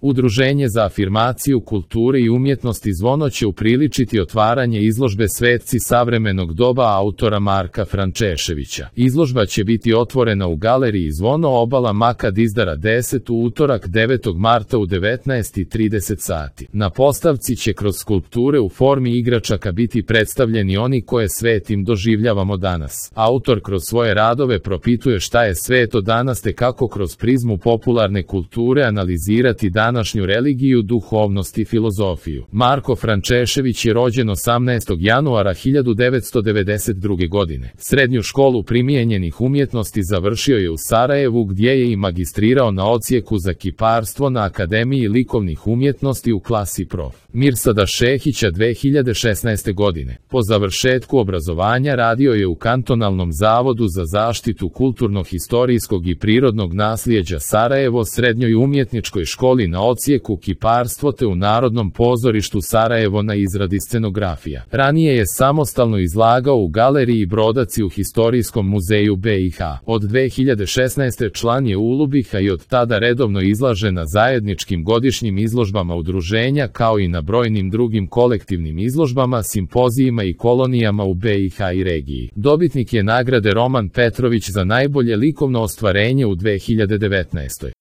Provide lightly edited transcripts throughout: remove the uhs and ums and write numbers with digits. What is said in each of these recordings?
Udruženje za afirmaciju kulture i umjetnosti Zvono će upriličiti otvaranje izložbe Svetci savremenog doba autora Marka Frančeševića. Izložba će biti otvorena u galeriji Zvono, obala Makad Izdara 10 u utorak 9. marta u 19:30 sati. Na postavci će kroz skulpture u formi igračaka biti predstavljeni oni koje svetim doživljavamo danas. Autor kroz svoje radove propituje šta je sveto danas te kako kroz prizmu popularne kulture analizirati današnju religiju, duhovnost i filozofiju. Marko Frančešević je rođen 18. januara 1992. godine. Srednju školu primijenjenih umjetnosti završio je u Sarajevu gdje je i magistrirao na odsjeku za kiparstvo na Akademiji likovnih umjetnosti u klasi prof. Mirsada Šehića 2016. godine. Po završetku obrazovanja radio je u Kantonalnom zavodu za zaštitu kulturno-historijskog i prirodnog nasljeđa Sarajevo, Srednjoj umjetničkoj školi na odsjeku kiparstvo te u Narodnom pozorištu Sarajevo na izradi scenografija. Ranije je samostalno izlagao u galeriji Brodaci u Historijskom muzeju BiH. Od 2016. član je Ulubiha i od tada redovno izlaže na zajedničkim godišnjim izložbama udruženja kao i na brojnim drugim kolektivnim izložbama, simpozijima i kolonijama u BiH i regiji. Dobitnik je nagrade Roman Petrović za najbolje likovno ostvarenje u 2019.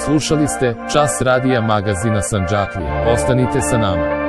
Slušali ste Čas radija magazina Sandžaklija. Ostanite sa nama.